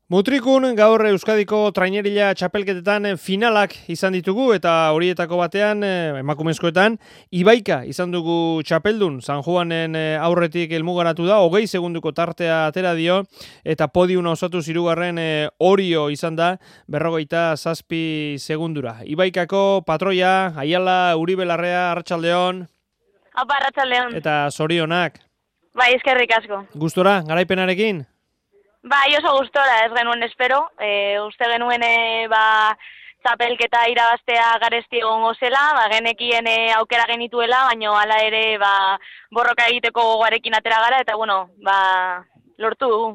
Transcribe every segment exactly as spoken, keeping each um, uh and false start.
Mutrikun gaur Euskadiko trainerila txapelketetan finalak izan ditugu eta horietako batean emakumezkoetan Ibaika izan dugu txapeldun. San Juanen aurretik helmugaratu da, hogei segunduko tartea atera dio eta podiuna osatu hirugarren Orio izan da berrogeita zazpi segundura. Ibaikako patroia, Aiala, Uribe Larrea, Arratsaldeon. Apa, Arratsaldeon. Eta zorionak. Bai, eskerrik asko. Gustora, garaipenarekin? Bai, oso gustora, ez genuen espero. E, uste genuen e, ba, txapelketa irabaztea garesti egongo zela, ba, genekien e, aukera genituela, baina hala ere ba, borroka egiteko gogoarekin atera gara, eta bueno, ba, lortu dugu.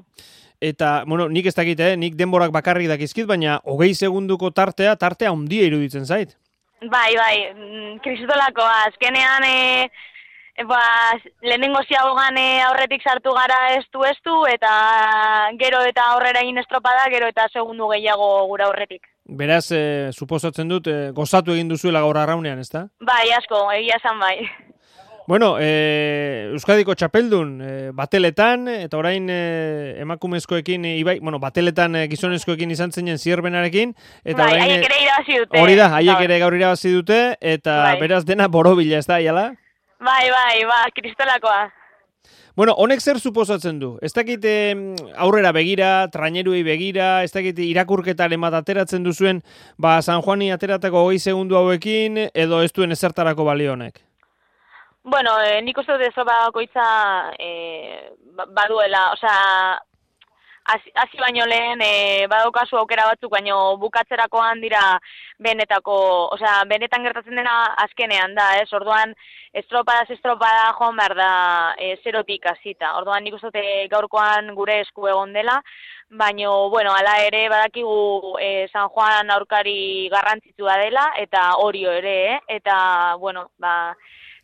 Eta, bueno, nik ez dakit, eh? nik denborak bakarrik dakizkit, baina hogei segunduko tartea, tartea handia iruditzen zait. Bai, bai, kristolako, azkenean... E, Ba, lehenengo ziagogan aurretik sartu gara estu-estu, eta gero eta aurrera egin estropada, gero eta segundu gehiago gura aurretik. Beraz, eh, suposatzen dut, eh, gozatu egin duzuela gaur arraunean, ezta? Bai, asko, egia esan bai. Bueno, eh, Euskadiko txapeldun, eh, bateletan, eta orain eh, emakumezkoekin, eh, ibai, bueno, bateletan eh, gizonezkoekin izan zinen zierbenarekin. Eta bai, orain, haiek ere irabazi dute. Hori da, haiek ere gaur irabazi dute, eta bai. Beraz dena borobila, ez da, Aiala? Bai, bai, ba, kristolakoa. Bueno, honek zer suposatzen du? Ez dakit aurrera begira, traineruei begira, ez dakit irakurketaren bat ateratzen duzuen, ba, San Juani ateratako hogei segundu hauekin, edo ez duen ezertarako balio honek? Bueno, eh, nik uste dut ez bakoitza eh, baduela, osea, hasi baino lehen e, badaukazu aukera batzuk, baino bukatzerakoan dira benetako, osea, benetan gertatzen dena azkenean da, ez? Orduan, estropadaz estropada joan behar da e, zerotik hasita. Orduan, nik uste gaurkoan gure esku egon dela, baino, bueno, hala ere badakigu e, San Juan aurkari garrantzitsua dela, eta Orio ere, eh? Eta, bueno, ba,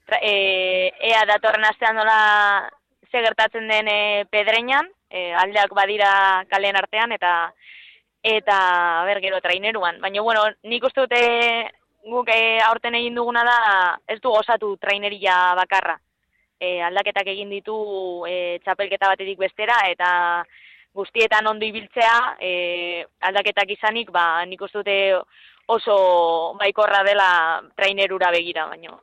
tra, e, ea datorren astean nola ze gertatzen den e, Pedreñan, E, aldeak badira kalen artean, eta eta ber gero traineruan. Baina, bueno, nik uste dute guk e, aurten egin duguna da, ez du gozatu traineria bakarra. E, aldaketak egin ditu e, txapelketa batetik bestera, eta guztietan ondo ibiltzea, e, aldaketak izanik, ba, nik uste dute oso baikorra dela trainerura begira, baina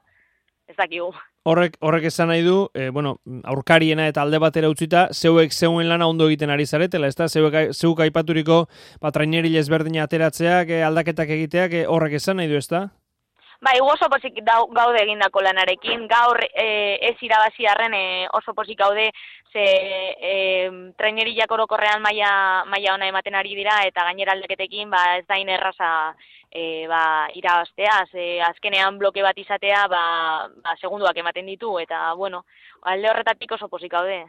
ez dakigu. Horrek, horrek esan nahi du, e, bueno, aurkariena eta alde batera utzita, zeuek zeuen lana ondo egiten ari zaretela, ezta? Zeuek, zeuk aipaturiko ba, traineril ezberdina ateratzeak, e, aldaketak egiteak, e, horrek esan nahi du, ezta? Bai, oso pozik gaude egindako lanarekin, gaur e, ez irabazi arren e, oso pozik gaude, ze e, trainerilak orokorrean maila maila ona ematen ari dira, eta gainera aldaketekin ba, ez dain erraza e, ba, irabaztea, ze azkenean bloke bat izatea ba, ba, segunduak ematen ditu, eta bueno, alde horretatik oso pozik gaude.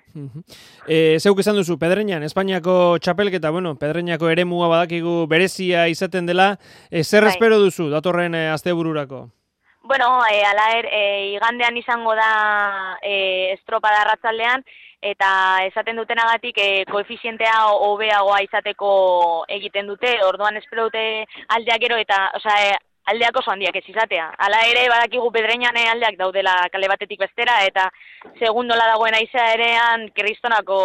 e, zeuk esan duzu, Pedreñan, Espainiako txapelketa, bueno, Pedreñako eremua badakigu berezia izaten dela, e, zer bai. Espero duzu datorren e, astebururako? Bueno, e, ala er, e, igandean izango da e, estropada arratsaldean, eta esaten dutenagatik e, koefizientea hobeagoa izateko egiten dute, orduan espero dute aldeak gero eta, osea, e, aldeak oso handiak ez izatea. Hala ere, badakigu Pedreñan aldeak daudela kale batetik bestera, eta segundola dagoen aizea erean kristonako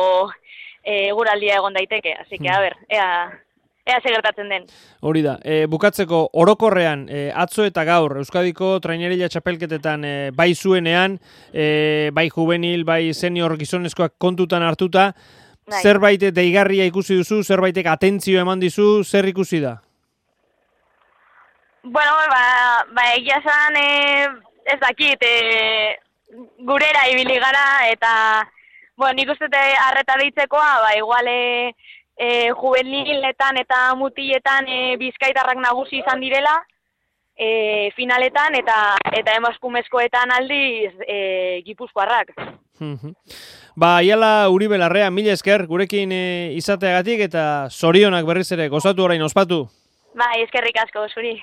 e, guraldia egon daiteke. Así que, a ber, ea... Ea ze gertatzen den. Hori da, e, bukatzeko orokorrean, e, atzo eta gaur, Euskadiko trainerila txapelketetan e, bai zuenean, e, bai juvenil, bai senior gizonezkoak kontutan hartuta, bai. Zerbait deigarria ikusi duzu, zerbaitek atentzio eman dizu, zer ikusi da? Bueno, ba, ba egia esan, e, ez dakit, e, gurera ibili gara, eta, bueno, nik uste arreta deitzekoa, ba, igual, e, E, juveniletan eta mutiletan e, bizkaitarrak nagusi izan direla e, finaletan eta eta emakumezkoetan aldiz e, gipuzkoarrak. Ba, Aiala Uribe Larrea, mila esker gurekin e, izateagatik eta zorionak berriz ere gozatu orain ospatu. Bai, eskerrik asko zuri.